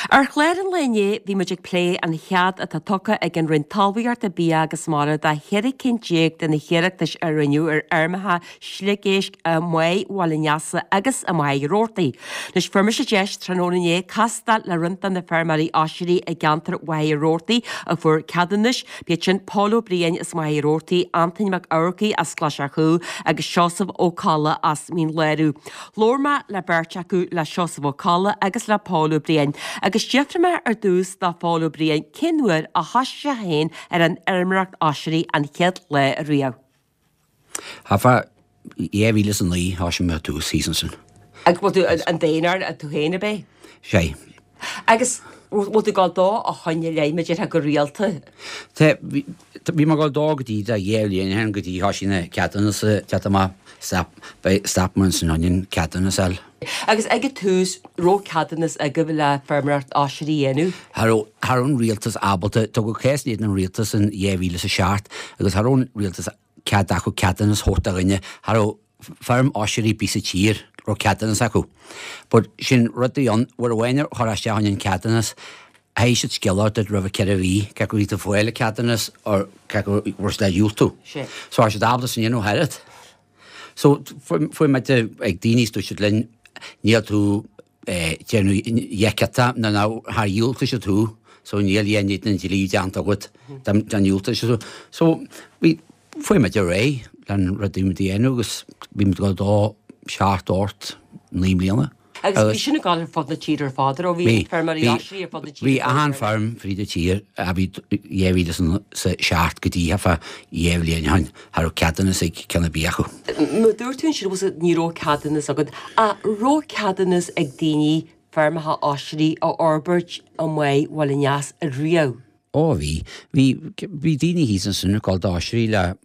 Ar chlár an lae inné bhí muid ag plé an chead atá tugtha ag an Roinn Talmhaíochta, Bia agus Mara do 14 cinn de na hiarratais a rinneadh ar fheirmeacha sliogéisc i mBáigh Bhaile an Easa agus i Machaire Rabhartaigh. Anois fuair mise deis tráthnóna inné castáil le roinnt de na feirmeoirí oisrí i gceantar Mhachaire Rabhartaigh a fuair ceadúnais, b'iad sin Pól Ó Briain as Machaire Rabhartaigh, Antaine Mac Eamharcaigh as Clais a' Chú agus Seosamh Ó Colla as Mín Lárach. Labhair mé le beirt acu, le Seosamh Ó Colla agus le Pól Ó Briain, agus d'fhiafraigh mé ar dtús de Phól Ó Briain cén uair a thoisigh sé féin ar an fheirmeoireacht oisrí an chéad lá ariamh. Thart fá 2009 thoisigh mé ar dtús thíos ansin. Agus bhfuil tú an d'aonar, tú féin ab é? Sé. Agus bhfuil tú ag dul dó ó shoin i leith, mar a déarfá, go rialta? Tá, bhí mé ag dul dó go dtí do dhá bhliain ó shin go dtí thoisigh na ceadúnas a teacht amach, stop, stop mé ansin ionainn ceadúnas a fháil. Agus ag an tús, raibh ceadúnas agaibh le feirmeoireacht oisrí a dhéanamh? Cha raibh, cha raibh an rialtas ábalta, tugadh cás in éadan an rialtas in 2007 agus cha raibh an rialtas cead acu ceadúnas thabhairt do dhuine, cha raibh feirm oisrí ar bith sa tír raibh ceadúnas acu. But sin rud a bhí ann, uair amháin a chuir isteach an ceadúnas, chaithfidh siad scéala a thabhairt duit roimh 4 mhí, cé acu bhí tú ag fáil an ceadúnas or cé acu raibh siad á dhiúltú. So cha raibh siad ábalta sin a dhéanamh thairat. So fuair muid ag daoine is dúirt siad linn níl tú déanamh dheiciata nó ná char dhiúltaigh siad thú so níl aon ní den dlí déanta agat dá ndiúltódh siad thú. So bhí fuair muid ar aghaidh len rud a bhí muid a dhéanamh agus bhí muid ag dul dó seacht, ocht, naoi mbliana. Agus bhí sin ag dul ar fud na tíre ar fad, an raibh? Bhí feirmeoirí oisrí ar fud na tíre. Bhí achan feirm fríd an tír a bhí 2007 go dtí thart fá dhá bhliain ó shin, cha raibh ceadúnas ag ceann ar bith acu. Mar dúirt tú ansin, bhfuil ní raibh ceadúnas agat, ach raibh ceadúnas ag daoine feirmeacha oisrí a fhorbairt i mBáigh Bhaile an Easa riamh? Ó bhí. Bhí, bhí daoine thíos ansin ag dul d'oisrí le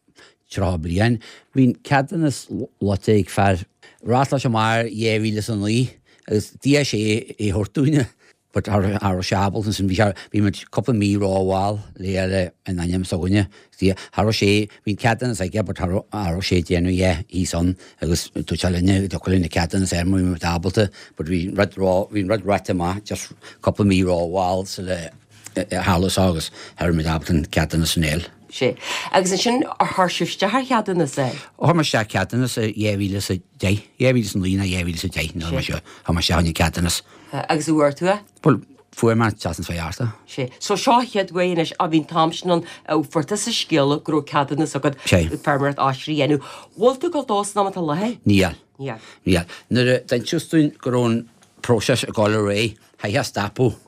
30 bliain. Bhí an ceadúnas luaite ag fear. Reáchtáil sé amach 2009 agus d'iarr sé é a thabhairt dúinne but cha raibh sé ábalta ansin. Bhí sé, bhí muid cúpla mí rómhall le fháil in ainm s'againne. Cha raibh sé, bhí an ceadúnas aige but cha raibh, cha raibh sé ag déanamh é thíos ann agus dúirt sé linne go dtiocfadh linn an ceadúnas a fháil má bhí muid ábalta but bhí an rud ró, bhí an rud ráite amach just cúpla mí rómhall sula tharla seo agus cha raibh muid ábalta an ceadúnas sin a fháil. Sea. Agus ansin, ar chuir sibh isteach ar cheadúnas é? Chuir muid isteach ceadúnas i 2010, 2009 nó 2010, nó mar seo, chuir muid isteach an ceadúnas. Agus an bhfuair tú é? Bhuel, fuair mé seachtain seo thart. Sea. So seo an chéad uair anois, á bhí an t-am sin ann, a fuair tusa scéala go raibh ceadúnas agat feirmeoireacht oisrí a dhéanamh. Bhfuil tú ag dul dó san am atá i láthair? Níl. Níl. Níl. Nuair a d'inseas dúinn go raibh an próiseas ag dul ar aghaidh, chaithfeá stopadh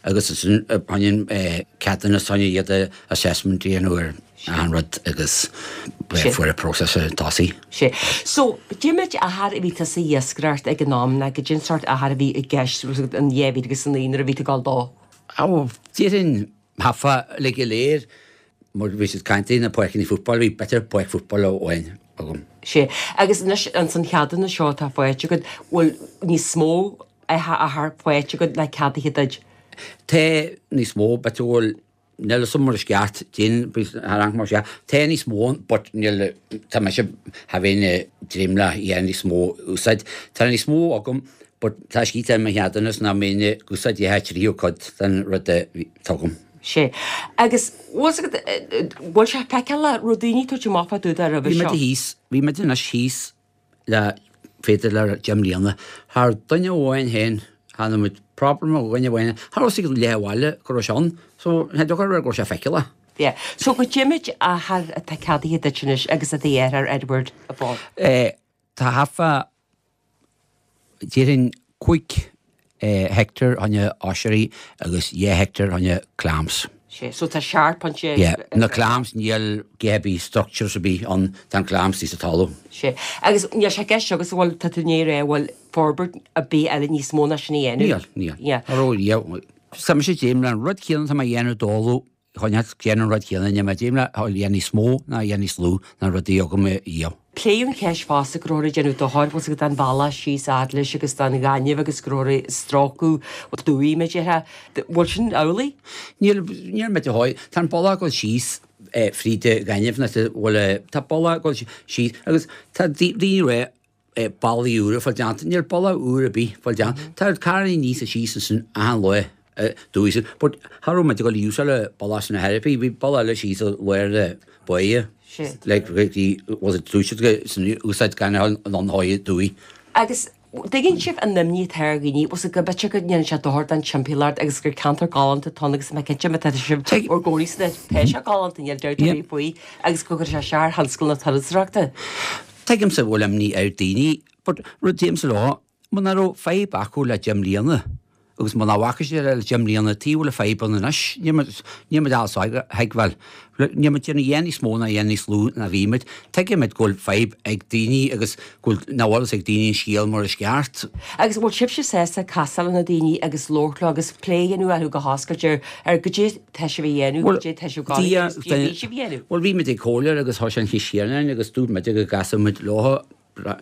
agus ansin baineann ceadúnas fá choinne iad assessment a dhéanamh ar achan rud agus fuair an próiseas tosaí. Sea. So, cad é méid achair a bhí tusa ag iascaireacht ag an am ná cad é an sórt achair a bhí i gceist in 2009 nuair a bhí tú ag dul dó? Ó, déarfainn thart fá le go léir mar bhí siad ag caint na páirceanna football, bhí b'fhéidir páirc football amháin agam. Sea. Agus anois ins an cheadúnas seo atá faighte agat, bhfuil níos mó achar faighte agat le ceadaithe duit? Tá níos mó, b'fhéidir go bhfuil, níl 'fhios a'm mar is ceart, déan, thar am mar sea, tá níos mó ann but níl, tá mise, cha bheinn ag dréim le a níos mó úsáid. Tá níos mó agam but tá scríte ar mo cheadúnas nach mbeinn ag úsáid a thríú cuid den rud atá agam. Sea. Agus bhfuil 's agat, bhfuil sé feiceálach, raibh daoine ag tabhairt amach fá dtaobh de roimhe seo? Bhí muid thíos, bhí muid anois thíos le b'fhéidir le 10 mbliana. Cha raibh duine amháin féin, cha raibh muid problem ó dhuine amháin, cha raibh fhios ag leath an bhaile go raibh sé ann, so cha dtiocfadh go raibh sé feiceálach. Yeah. So cad é méid achar atá ceadaithe duit anois agus i do dheartháir Edward a Phóil? Eh, tá thart fá Déarfainn 5 heicteár fá choinne oisrí agus 2 heicteár fá choinne clams. Sea, so tá seacht pointe. Yeah, na clams níl a dhath ar bith structures ar bith ann, tá an clams thíos sa talamh. Sea, agus níl sé i gceist agat an bhfuil, tá tú i ndiaidh a rá, an bhfuil forbairt ar bith eile níos mó ná sin a dhéanamh? Níl, níl. Yeah. Cha raibh riamh. Tá mise ag dréim le an rud céanna atá mé a dhéanamh d'fhoghlaim Choinneáil déanamh an rud chéanna, níl mé ag dréim le a dhéanamh níos mó ná a dhéanamh níos lú ná an rud a bhí agam riamh. Pléadh an cheist fosta go rabhthar ag déanamh dochair, bhfuil 's agat don bhealach síos fhad leis agus don ghaineamh agus go rabhthar ag stróiceadh dumhaí, mar a déarfá. Bhfuil sin amhlaidh? Níl, níl mé de dhóigh. Tá an bealach ag dul síos fríd an ghaineamh nó bhfuil, tá bealach ag dul síos agus tá daoine ag rá bealaí úra fáil déanta. Níl bealach úr ar bith fáil déanta. Tá carrannaí aníos is síos ansin achan lá. Dúigh sin. But cha raibh muid ag dul a úsáid an bealach sin ar chor ar bith, bhí bealach eile síos i lár na báighe. Like bhí, was it dúirt siad go san úsáid gan a dhul ann dhóigh dúigh. Agus dtuigeann sibh an imní atá ar dhaoine, bhfuil 's agat go b'fhéidir go ndéanann sé dochar don timpeallacht agus gur ceantar galánta atá ann agus mé cinnte má tá sibh bhur gcónaí san áit tá sé galánta níl dabht ar bith faoi agus go gcuirfidh sé isteach ar thionscal na turasóireachta. Tuigimse go bhfuil imní ar daoine but rud deirimse leo Muna raibh fadhb acu le 10 mbliana, agus muna bhfaca siad é le 10 mbliana, tuige a bhfuil an fadhb ann anois? Níl muid, níl muid ábalta a thuigbheáil. Níl muid déanamh a dhath níos mó ná a dhath níos lú ná bhí muid. Tuigimid go bhfuil fadhb ag daoine agus go bhfuil, nach bhfuil fhios ag daoine an scéal mar is ceart. Agus bhfuil sibhse sásta casadh le na daoine agus labhairt leo agus plé a dhéanamh leo go hoscailte ar, ar goidé tá sibh a dhéanamh, goidé tá sibh ag dul a dhéanamh agus goidé a bhí sibh a dhéanamh? Bhuel, bhí muid ag comhairleoir agus thosaigh an cheist chéanna orainn agus dúirt muid go gcasfadh muid leo. Cha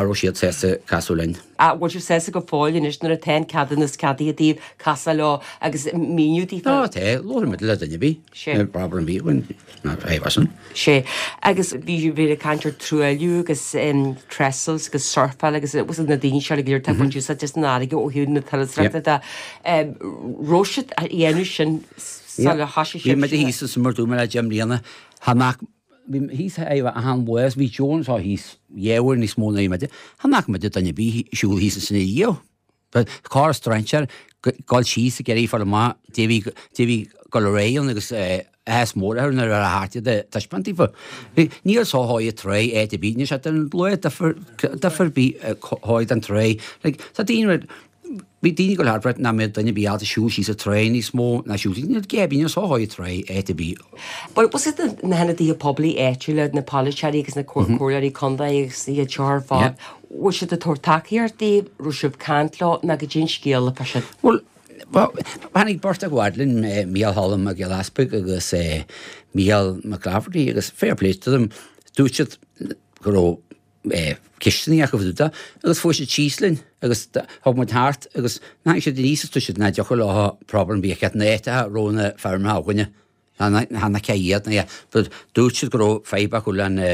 raibh siad sásta casadh linn. An bhfuil sibh sásta go fóill anois nuair atá an ceadúnas ceadaithe daoibh casadh leo agus míniú daofa? Á tá, labhróidh muid le duine ar bith. Sé. Níl problem ar bith againn, ná fadhb as sin. Sé. Agus bhí bhí ag caint ar truailliú agus trestles agus surfáil agus agus na daoine seo go léir atá ag baint úsáid as an fharraige ó thaobh na turasóireachta de. Raibh siad a dhéanamh sin sular thosaigh sibhse? Bhí muid thíos ansin mar dúirt mé le 10 mbliana. Tha nach Bhí thíos achan lá is bhí Joe anseo thíos dhá uair níos mó ná bhí muide. Chan fhaca muide duine ar bith ag siúl thíos ansin ariamh. Corr strainséir dul síos ag iarraidh fáil amach dé bhí dé bhí dul ar aghaidh ann agus áthas mór orthu nuair a thart iad ag taispeáint daofa. Níl só dhóigh tráigh áit ar bith, níl sé den lá difear difear ar bith dhóigh den tráigh. Like tá daoine Bhí daoine ag dul thart nach mbeadh duine ar bith ábalta siúl síos an tráigh níos mó ná siúl síos. Níl gé níl só dhóigh tráigh áit ar bith. Bhuel, bhfuil 's agat na hionadaithe poiblí áitiúla, na polaiteoirí agus na comhairleoirí contae agus iad seo ar fad, bhfuil siad ag tabhairt tacaíocht daoibh, raibh sibh ag caint leo nó goidé an scéal fá sin? Bhuel, tháinig beirt acu fhad linn, Mícheál Cholm Mac Giolla Easpaig agus Mícheál McClafferty agus fair play to them, dúirt siad go raibh ceisteanna acu fá dtaobh de agus fuair siad síos linn agus thug muid thart agus tháinig siad aníos agus dúirt siad nach dtiocfadh leo problem ar bith a cheart na áiteacha a raibh na feirmeacha againne chan cé iad ná but dúirt siad go raibh fadhb acu le na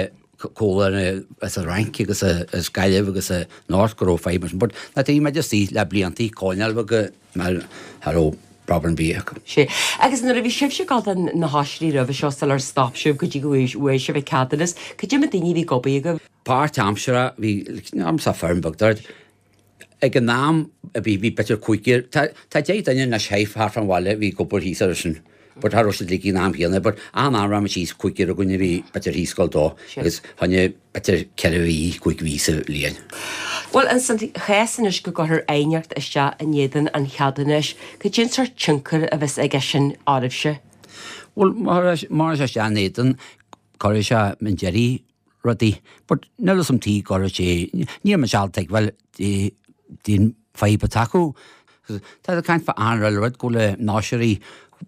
comhlacht as an Fhrainc agus as Gaillimh agus a North go raibh fadhb mar sin but na bhí muid istigh le bliantaí coinneáil go mar cha raibh problem ar bith acu. Sé. Agus nuair a bhí sibhse ag gabháil do na hoisrí roimhe seo sular stop sibh go dtí go bhfuair sibh an ceadúnas, cad é mar daoine a bhí ag obair agaibh? Páirtaimseartha, bhí, am sa feirm bheag dart. Ag an am a bhí, bhí b'fhéidir cúigear, tá, tá 10 duine anois thart fán bhaile a bhí ag obair thíos air sin. But cha raibh siad uilig ag an am chéanna, but achan am raibh muid thíos, cúigear againn a bhí b'fhéidir thíos ag gabháil dó agus choinne b'fhéidir 4 mhí, 5 mhí sa bhliain. Bhuel, ins an chás anois go gcuirfear aighneacht isteach in éadan an cheadúnais, cad é an sórt tionchair a bheas aige sin oraibhse? Bhuel, má chuirfear sé isteach in éadan, cuirfidh sé i ndeireadh rudaí. But níl fhios a'm tuige go raibh sé, níl mise ábalta tuigbheáil dén fadhb atá acu. Tá siad ag caint fá achan rud go bhfuil na hoisrí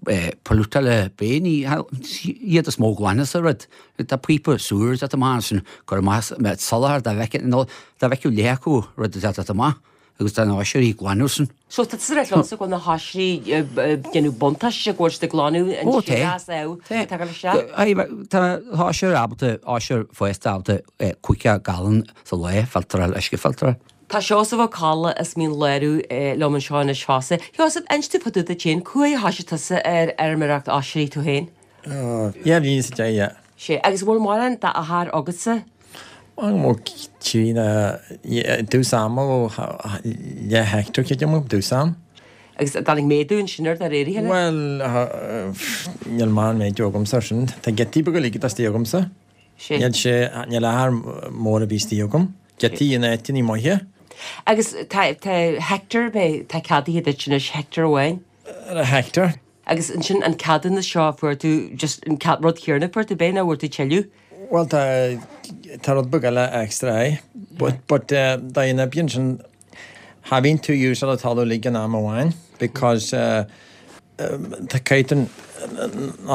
pollútáilte b'é ní iad is mó glanadh sa rud. Tá píopa sewer ag teacht amach ansin cur amach soláthar dá bhfeicfeadh nó dá bhfeicfeadh leath acu rud atá ag teacht amach agus tá na hoisrí ag glanadh sin. So tá tusa ag rá liomsa go bhfuil na hoisrí ag déanamh buntáiste go bhfuil siad ag glanadh an t-uisce as abhainn atá ag dul isteach? Tá oisir ábalta, oisir fásta ábalta 50 gallon sa lá filteráil, uisce filteráil. Tá Seosamh Ó Colla as Mín Lárach liom anseo anois fosta. Sheosamh, inis domh fá dtaobh duit féin, cá huair a thoisigh tusa ar fheirmeoireacht oisrí tú féin? Dhá bhliain is a deich, yeah. Sé, agus an bhfuil mórán d'achar agatsa? Bhuel, trí na, i dtús ama ó leath heicteár creidim, i dtús am. Agus an dtáinig méadú ansin air de réir a chéile? Bhuel, níl mórán méadú agamsa ar sin. Tá giotaí beaga uilig atá istigh agamsa. Sé. Níl sé, níl achar mór ar bith istigh agam. Giotaí in áiteanna maithe. Agus tá, tá heicteár, tá ceadaithe duit anois, heicteár amháin? Ar heicteár. Agus ansin an ceadúnas seo a fuair tú, just an rud céanna a fuair tú, b'é nó bhfuair tú tuilleadh? Bhuel tá, tá rud beag eile extra aye. But, but dá ina bíonn sin, cha bhíonn tú úsáid an talamh uilig in am amháin because tá caithfidh tú na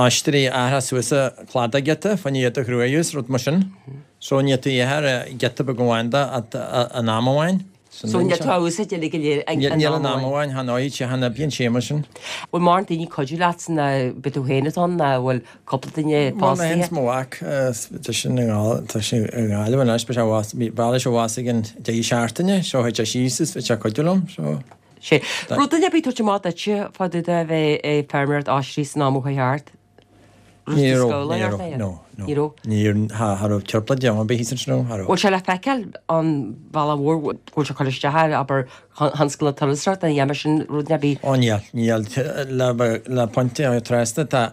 oisrí a athrá suas an cladach giota fá choinne iad a thruailliú is rud mar sin. So ní tú ithir giota beag amháin de at an am amháin. So níl tú á úsáid uilig go léir ag an Níl an am amháin, chan fhaighidh sé, chan oibríonn sé mar sin. Bhfuil mórán daoine ag cuidiú leat nó b'é tú féin atá ann nó bhfuil cúpla duine Bhuel mé féin is mo mhac, tá sin i nGaillimh, tá sé i nGaillimh anois, beidh sé abhus, bhí, bhailigh sé abhus ag an deireadh seachtaine, so thit sé síos is bhí sé ag cuidiú liom, so. Sé. Raibh duine ar bith ag tabhairt amach duitse fá dtaobh de bheith ag feirmeoireacht oisrí san am ó chuaigh thart? Ní raibh, ní raibh, no, no. Ní raibh? Ní raibh, cha raibh chirp le déanamh ar bith thíos ansin, cha raibh. Bhfuil sé le feiceáil an bhealach mhór, go bhfuil sé ag cur isteach ar, abair, thionscal na turasóireachta, an dhéanfaidh sin rud ar bith? Ó níl, níl, le, le pointe trasna, tá,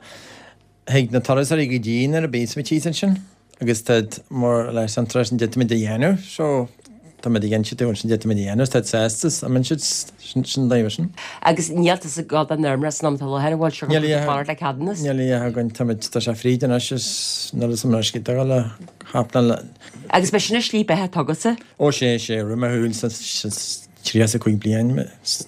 thig na turasóirí go dtí nuair a bíos muid thíos ansin agus táid mór leis an turas an d'fhéadfaimid a dhéanamh so táimid ag inse dúinn sin d'fhéadfaimid a dhéanamh táid sásta is an siad sin sin daoibh sin. Agus níl tusa ag gabháil don fheirmeoireacht san am atá i láthair an bhfuil sé Níl a fhios fanacht le ceadúnas? Níl a fhios againn táimid tá sé fríd anois is níl a fhios agam anois cé dul le hapnáil le. Agus b'é sin an slí beatha atá agatsa? Ó sé sé roimh mo shúil sa 35 bliain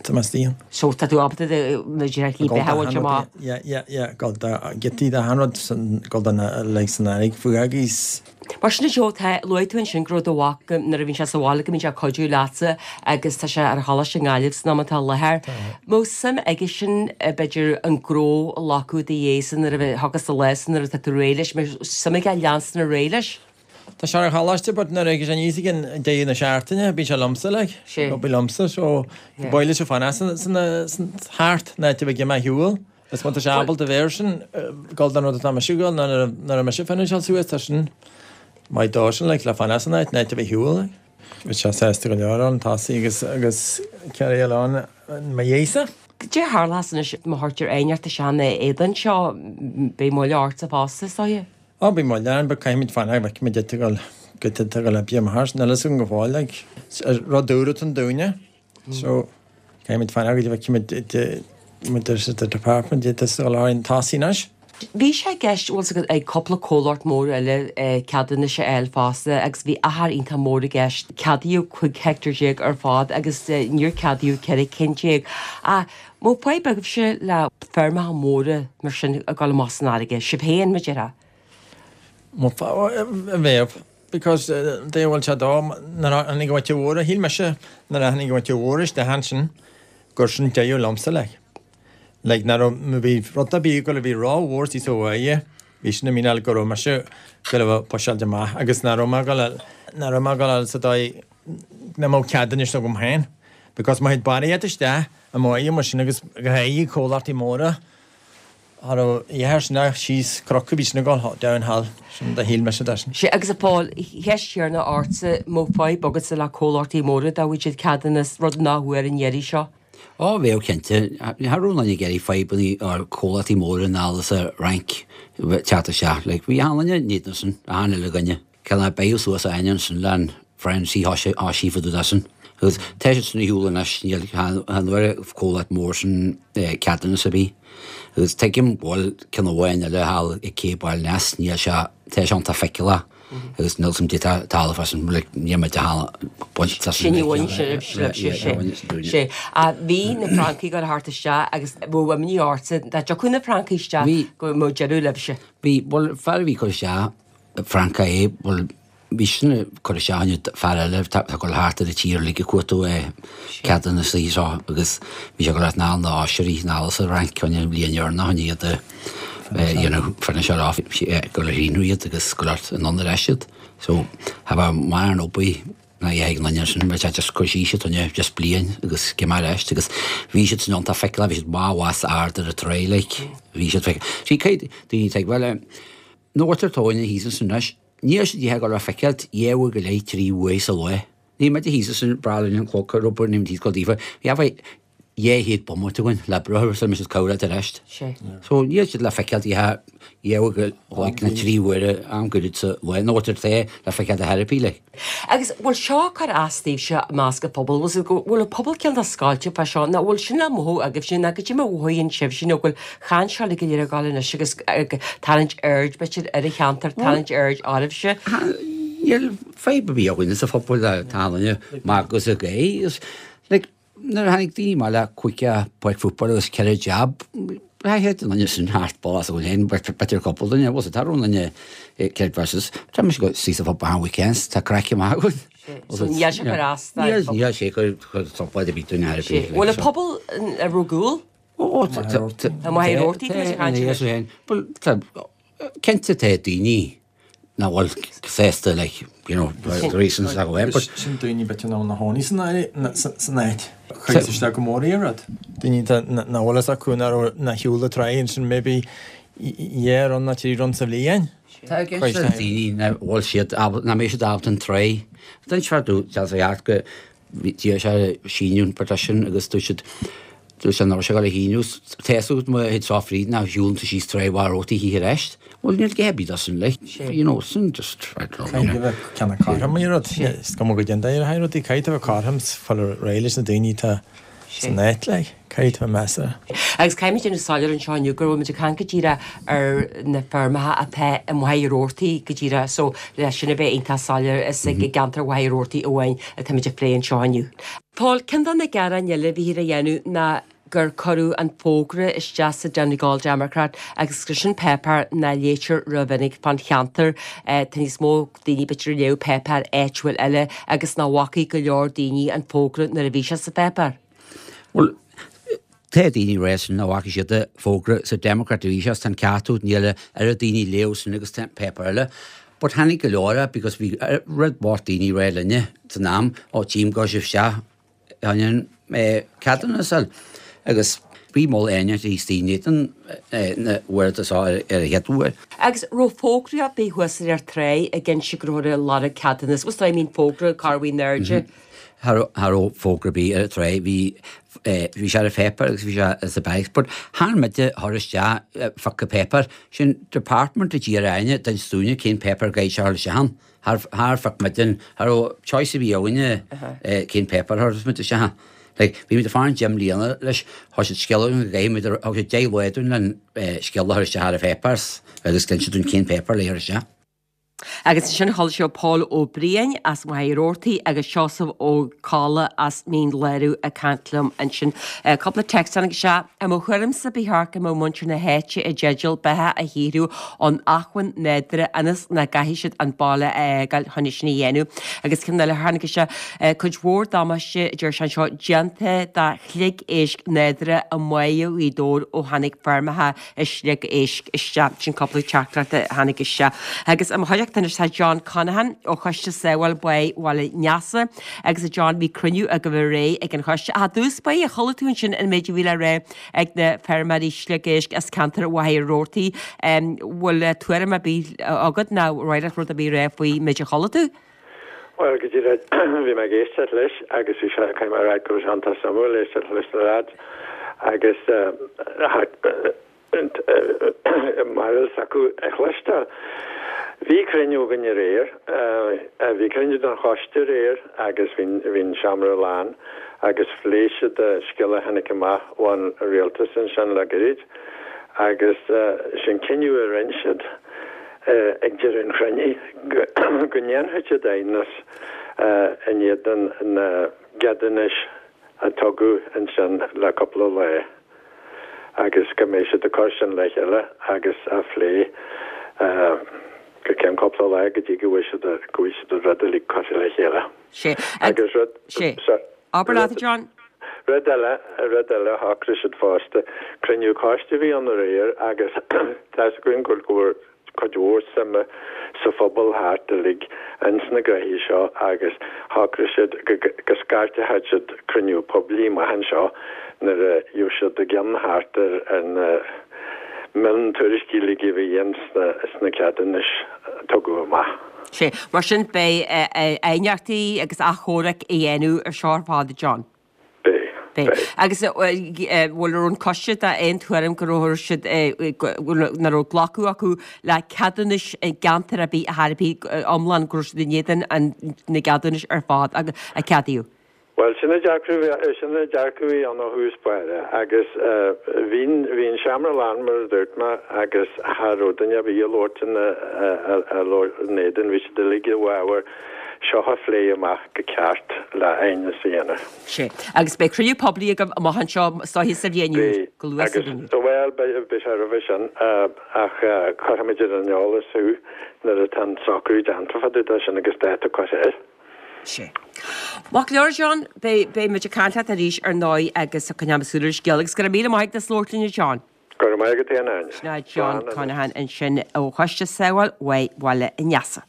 tá mé istigh ann. So tá tú ábalta do na slí beatha a bhaint amach? Yeah, yeah, yeah, gabháil do giotaí de achan rud, gabháil do na like san fharraige fúthu agus. Mar sin a Joe, tá, luaigh tú ansin go raibh do mhac, nuair a bhíonn sé sa bhaile go mbíonn sé ag cuidiú leatsa agus tá sé ar choláiste i nGaillimh san am atá i láthair. Mbeadh suim aige sin b'fhéidir an gnó a ghlacadh i do dhiaidhsa nuair a thiocfas an lá sin nuair atá tú réidh leis, mbeadh suim aige leanstan ar aghaidh leis? Tá sé ar choláiste but nuair a thig sé aníos ag an deireadh na seachtaine bíonn sé liomsa like. Sé. Bíonn liomsa so ba mhaith leis fanacht san san san thart an áit a bheidh mé ar shiúl. Is má tá sé ábalta bheith air sin gabháil don rud atá mise ag gabháil nuair a nuair a mise finiseáil suas tá sin maith dó sin like le fanacht san áit an áit a bheith ar shiúl like. Bhí sé sásta go leor ann tosaí agus agus carry on mo dhiaidhsa. Cad é a tharlós anois má chuirtear aighneacht isteach ina éadan seo beidh moill ortsa fosta is dóiche? Ó, beidh moill orainn, but caithfimid fanacht go bhfeicfimid cad tá ag gabháil, cad tá ag gabháil a oibriú amach, níl a fhios agam go fóill, like, rud úr atá ann dúinne, so caithfimid fanacht go dtí bhfeicfimid muid ar the department, cad tá ag gabháil orainn tosaí anois. Bhí sé i gceist, bhfuil 's agat, ag cúpla comhlacht mór eile ceadúnais a fháil fosta agus bhí achar iontach mór i gceist. Ceadaíodh 15 heicteár ar fad agus níor ceadaíodh 14 cinn. Ach an mbeadh fadhb agaibhse le feirmeacha móra mar sin ag dul amach san fharraige, sibh féin, mar a déarfá? Bheadh, because dé bhfuil sé dó, nuair a tháinig an mhuintir mhór, shíl mise nuair a tháinig an mhuintir mhór isteach ansin gur sin deireadh liomsa like. Like nach raibh, má bhí rud ar bith go bhí ró-mhór sa bhaile, bhí sin i míneáil go raibh mise go raibh pushálta amach agus nach raibh mé ag dul, nach raibh mé ag dul sa dóigh nach mbeadh ceadúnas agam féin because má théid barraíocht isteach i mbáighe mar sin agus go háirithe comhlachtaí móra cha raibh a dhath sin ach síos cnoc a bhí sin ag dul downhill sin do shíl mise de sin. Sea, agus a Phóil, cheist chéanna ortsa, mbeadh fadhb agatsa le comhlachtaí móra dá bhfaigheadh siad ceadúnas, rud nach bhfuair an iarraidh seo? Ó, bheadh cinnte. Cha raibh aon duine ag iarraidh fadhbanna ar comhlachtaí móra anall as an Fhrainc teacht isteach. Like, bhí achan duine in éadan sin, achan uile dhuine. Cineál beidh suas aithne ansin le an Francie thá sí fá dtaobh de sin. Agus tá siad sin ar shiúl anois, níl chan bhfuair an comhlacht mór sin ceadúnas ar bith. Agus tuigim go bhfuil ceann amháin eile thall ag Cé Baile Neas, níl sé, tá sé iontach feiceálach agus níl 's a'm cad é talamh as an, like, níl muid a baint as an. Sin í bhain sibh, sibh, sé, sé. Bhí na Francaigh ag dul thart isteach agus bheadh imní ortsa dá dtiocfadh na Francaigh isteach go mbeadh deireadh libhse. Bhí, bhuel, fear a bhí ag cur isteach, Francach é, bhuel, bhí sin ag cur isteach inniu fear eile atá ag dul thart ar an tír uilig ag cuartú ceadúnas seo agus bhí sé ag dul thart anall na oisrí anall sa Fhrainc chun an bhliain dheireanach chun iad a dhéanamh finish off ag dul a shíniú iad agus ag dul thart anonn ar ais iad. So, cha bheadh mórán obair ná a ag an duine sin, bhí sé just cur síos siad chun just bliain agus cé mar eist agus bhí siad san iontach feiceálach, bhí siad maith mhaith ard ar an tráigh like, bhí siad feiceálach. See, caithfidh daoine tuigbheáil, Nó bhfuiltear tóin thíos ansin anois. Níl siad ag dul le feiceáilt dhá uair go leith, trí uair sa lá. Níl muid thíos ansin breá linn an cloch ar obair, níl muid thíos go daofa. Bhí abair 200 bomaite againn le breith sula mbeidh siad cabhrach ar ais. So níl siad le feiceáilt dhá uair go leith nó trí uaire am gairid sa lá. Nó bhfuiltear te le feiceáilt a therapy like. Agus bhfuil seo ag cur as daoibhse i measc an phobail? Bhfuil go bhfuil an pobal cineál scoilte fá seo nó bhfuil sin le mothú agaibhse nó goidé mar a mhothaíonn sibhse nó go bhfuil chan seo uilig go léir ag gabháil anois agus ag tarraingt aird b'fhéidir ar an cheantar, tarraingt aird oraibhse? Níl fadhb ar bith againne sa phobal le tá duine maith agus a gay agus like Nuair a tháinig daoine amach le cúig páirc football agus ceithre jab, chaith an duine sin thart ball as a bhfuil féin, b'fhéidir cúpla duine, bhuel tá rún duine céard versus, tá mise go suí sa phub achan weekends, tá craic maith againn. So níl sé cur as do. Níl sé cur trioblóid ar bith dúinn ar bith. Bhfuil an pobal ar rogúil? Ó, tá. Tá maith ar ortaí, tá mise ag caint anois. Bhuel, tá, cinnte tá daoine. nach bhfuil sásta like, you know, the reasons that go but Sin daoine b'fhéidir nach bhfuil ina chónaí san áit san áit. Chuir isteach go mór ar rud. Daoine nach bhfuil fhios acu nach raibh nach shiúl a tráigh ansin maybe dhá run nó trí run sa bhliain. Tá i gceist le daoine nach bhfuil siad ábalta, nach mbeidh siad ábalta an tráigh. D'inis fear domh deas a theacht go d'iarr sé síniú an petition agus dúirt siad dúirt sé nach raibh sé ag dul a shíniú. Tá fhios agat má théid seo fríd nach shiúlann tú síos tráigh Mhachaire Rabhartaigh a choíche arís. Bhuel níl gá ar bith dó sin like you know sin just I don't know. Caithfidh a bheith ceann cothrom ar rud. Is cuma go dtéann ar haghaidh rudaí caithfidh a bheith cothrom 's fáil réidh leis na daoine atá san áit like. Caithfidh a bheith measartha. Agus caithfimid déanamh soiléir anseo inniu go bhfuil muid ag caint go díreach ar na feirmeacha atá i Machaire Rabhartaigh go díreach so le sin a bheith iontach soiléir is i gceantar Mhachaire Rabhartaigh amháin atáimid ag plé anseo inniu. Paul, Ceann de na gearáin eile a bhíthear a dhéanamh ná gur cuireadh an fógra isteach sa Donegal Democrat agus gur sin páipéar nach léitear rómhinic fán cheantar. Tá níos mó daoine b'fhéidir a léadh páipéar áitiúil eile agus nach bhfacaidh go leor daoine an fógra nuair a bhí sé sa pháipéar. Bhuel, tá daoine ag rá sin nach bhfaca siad an fógra sa Democrat a bhí sé, tá an ceart agat, níl a oiread daoine ag léamh sin agus tá páipéar eile. But tháinig go leor é because bhí rud mhór daoine ag rá linne san am, ó tchím go raibh sibh isteach in ceadúnas a fháil. Agus bhí mol éineacht thíos daoine éadan na uaireanta seo ar an chéad uair. Agus raibh fógra ar bith thuas ar an tráigh ag inse go rabhthar ag lorg ceadúnas, what's I mean fógra cá raibh in airde? Cha raibh fógra ar bith ar an tráigh, bhí bhí sé ar an pháipéar agus bhí sé sa bag, but chan muide a chuir isteach phiocadh páipéar, sin department a d'iarr orainne d'inis dúinne cén páipéar a gcaithfidh sé a dhul isteach ann. Char char phioc muid an, cha raibh choice ar bith againne cén páipéar a chuirfeas muid isteach ann. Like, bhí muid ag faire 10 mbliana leis, thug siad scéala dúinn go gcaithfidh muid, thug siad 10 lá dúinn len scéala a chur isteach ar an pháipéar agus d'inis siad dúinn cén páipéar le chur isteach. Agus ansin chuala sibh Pól Ó Briain as Machaire Rabhartaigh agus Seosamh Ó Colla as Mín Lárach ag caint liom ansin. Cúpla text tháinig isteach. I mo thuairimse ba cheart go mbeadh muintir na háite i dteideal beatha a shaothrú ón acmhainn nádúrtha ionas nach gcaithfidh siad an baile a fhágáil chun é sin a dhéanamh. Agus ceann eile a tháinig isteach, cuid mhór damáiste, a deir sé anseo, déanta do shliogéisc nádúrtha i mBáighe Ghaoth Dobhair ó tháinig feirmeacha sliogéisc isteach. Sin cúpla teachtaireacht a tháinig isteach. Agus i mo chuideachta anois tá John Conaghan ó Choiste Sábháil Báigh Bhaile Neasa. Agus a John, bhí cruinniú agaibh aréir ag an choiste. Ach i dtús báire, chuala tú ansin an méid a bhí le rá ag na feirmeoirí sliogéisc as ceantar Mhachaire Rabhartaigh. Bhfuil tuairim ar bith agat nó ar mhaith leat rud ar bith a rá faoi méid a chuala tú? Bhuel, go díreach, bhí mé ag éisteacht leis agus bhí sé, caithfidh mé a rá go raibh sé iontach suimiúil éisteacht leis na lads agus barúil s'acu a chloisteáil. Bhí cruinniú againn aréir, bhí cruinniú den choiste aréir agus bhí an seomra lán agus phléigh siad scéal a tháinig amach ón rialtas ansin le gairid agus sin cinneadh a rinne siad ag deireadh an chruinnithe go ndéanfaidh siad aighneas in éadan na gceadúnais a tugadh ansin le cúpla lá agus go mbeidh siad ag cur sin le chéile agus á phlé go ceann cúpla lá go dtí go bhfuil siad go bhfuil siad an rud uilig curtha le chéile. Sé. Agus rud. Sé. Abair leat, a John. Rud eile, rud eile a shocraigh siad fosta, cruinniú coiste a bhí ann aréir agus tá's againn go bhfuil cuid mhór suime sa phobal thart uilig ins na gnoithí seo agus shocraigh siad go scairteoidh siad cruinniú poiblí amach anseo nuair a gheobhaidh siad a gceann thart ar na miontuairiscí uilig a bhí ins na ceadúnais a tugadh amach. Sé. Mar sin beidh aighneachtaí agus achomhairc a dhéanamh ar seo ar fad, a John. Beidh. Beidh. Agus bhfuil ar an coiste d'aon tuairim go raibh siad, nach raibh glacadh acu le ceadúnais i gceantar ar bith ar bith iomlán, go raibh siad in éadan na gceadúnais ar fad a ceadaíodh? Bhuel, sin an dearcadh, sin an dearcadh a bhí ann ó thús báire agus bhí, bhí an seomra lán mar a dúirt mé agus cha raibh duine ar bith ag labhairt ina, a labhair in éadan, bhí siad uilig i bhfabhar seo a phlé amach go ceart le aighneas a dhéanamh. Sé. Agus beidh cruinniú poiblí agaibh amach anseo is dóiche sa bhliain úr, go luath sa bhliain úr. Bhuel, beidh, beidh sé roimhe sin ach cuirfimid ar an eolas thú nuair atá an socrú déanta fá dtaobh de sin agus dáta curtha air. Sé. Maith go leor, John, beidh, beidh muid ag caint leat arís ar ndóigh agus coinneoidh muid súil ar an scéal agus go raibh míle maith agat as labhairt linn a John. Go raibh maith agat féin, Áine. Sin é John Conaghan ansin ó Choiste Sábháil Bháigh Bhaile an Easa.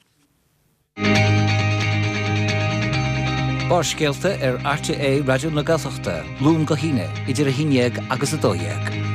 Barrscéalta ar RTÉ Raidió na Gaeltachta, Luan go hAoine, idir 11 agus 12.